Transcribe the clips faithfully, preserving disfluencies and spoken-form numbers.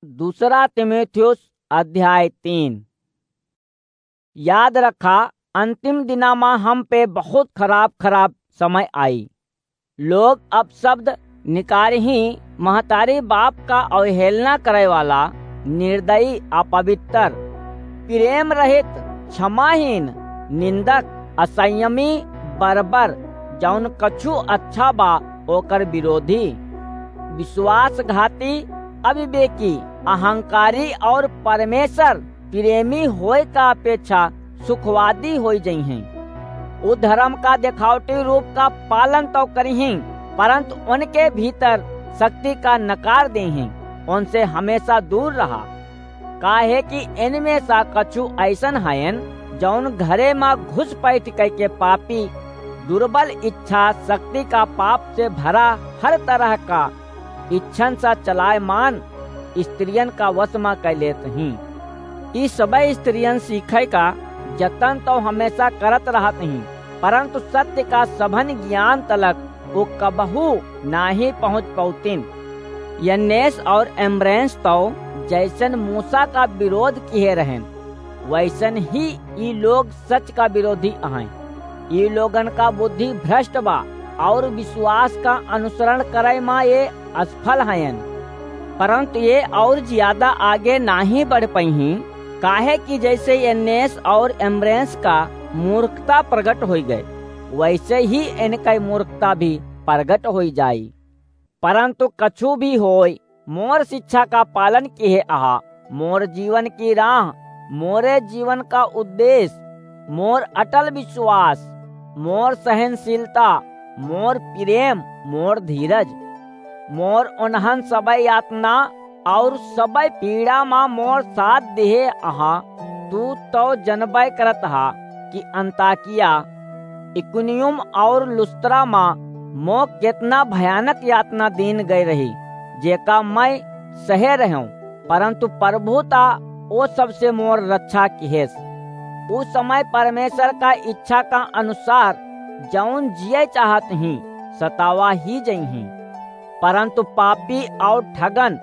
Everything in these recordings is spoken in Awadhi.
दूसरा तीमुथियुस अध्याय तीन। याद रखा, अंतिम दिना मा हम पे बहुत खराब खराब समय आई। लोग अपशब्द निकारही, महतारी बाप का अवहेलना करे वाला, निर्दयी, अपवित्र, प्रेम रहित, क्षमाहीन, निंदक, असंयमी, बर्बर, जौन कछु अच्छा बा ओकर विरोधी, विश्वासघाती, अविवेकी, अहंकारी और परमेश्वर प्रेमी होए का अपेक्षा सुखवादी होई जइहें। उ धर्म का देखावटी रूप का पालन तो करिहीं, परंतु उनके भीतर शक्ति का नकार देहीं। उनसे हमेशा दूर रहा, काहे कि इनमें सा कछु ऐसन हयन, जौन घरे मा घुस पैठ कइके पापी, दुर्बल इच्छा शक्ति का पाप से भरा हर तरह का इच्छन सा चलायमान स्त्रियन का वश मा कै लेत हीं। ई सबै स्त्रियन सीखे का जतन तो हमेशा करत रहत हीं, परंतु सत्य का सभन ज्ञान तलक वो कबहू नाही पहुँच पौतिन। यन्नेस और एम्ब्रेंस तो जैसन मूसा का विरोध किहे रहेन, वैसन ही ई लोग सच का विरोधी अहैं। ई लोगन का बुद्धि भ्रष्ट बा और विश्वास का अनुसरण करे मा ये असफल हयन। परंतु ये और ज्यादा आगे नाही बढ़ पइहीं, काहे कि जैसे यन्नेस और एम्ब्रेंस का मूर्खता प्रगट होई गए, वैसे ही इनका मूर्खता भी प्रगट होई जाई। परंतु कछु भी होय, मोर शिक्षा का पालन किहे अहा, मोर जीवन की राह, मोरे जीवन का उद्देश्य, मोर अटल विश्वास, मोर सहनशीलता, मोर प्रेम, मोर धीरज, मोर उन्हन सबै यातना और सबै पीड़ा मा मोर साथ दिहे अहा। तू तो जनबै करत हा कि अंताकिया, इकुनियुम और लुस्त्रा मा मो केतना भयानक यातना दीन गए रही, जेका मैं सहे रहेंव, परंतु प्रभु ता ओ सबसे मोर रक्षा किहेस। उ समय परमेश्वर का इच्छा का अनुसार जौन जिए चाहत हीं, सतावा ही जइहीं। परंतु पापी और ठगन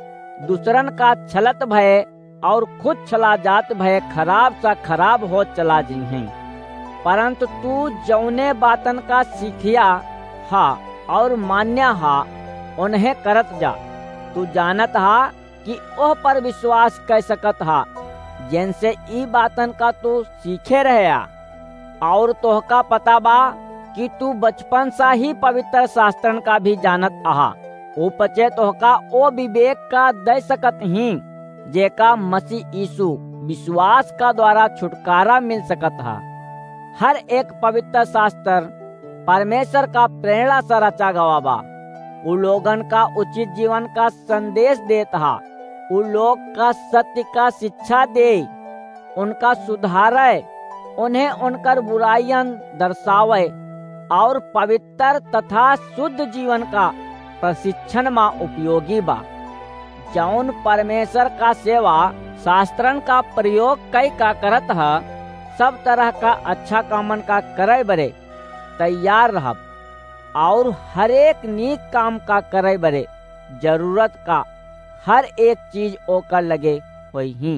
दूसरन का छलत भये और खुद छला जात भये खराब सा खराब होत चला जइहें। परंतु तू जौने बातन का सीखिया हा और मान्या हा, उन्हें करत जा। तू जानत हा कि ओह पर विश्वास कै सकत हा, जेनसे ई बातन का तू सीखे रह्या। और तोहका पता बा कि तू बचपन सा ही पवित्र शास्त्रन का भी जानत अहा। उपचे तोहका ओ विवेक का दै सकत हीं, जेका मसीह यीशु विश्वास का द्वारा छुटकारा मिल सकत हा। हर एक पवित्र शास्त्र परमेश्वर का प्रेरणा से रचा गवा बा। उ लोगन का उचित जीवन का संदेश देत हा। उ लोग का सत्य का शिक्षा दे, उनका सुधारे, उन्हें उनकर बुराइयन दर्शावे और पवित्र तथा शुद्ध जीवन का प्रशिक्षण मा उपयोगी बा। जौन परमेश्वर का सेवा शास्त्रन का प्रयोग कई का करत ह, सब तरह का अच्छा कामन का करे बरे तैयार रहब और हर एक नीक काम का करे बरे जरूरत का हर एक चीज ओकर लगे होई ही।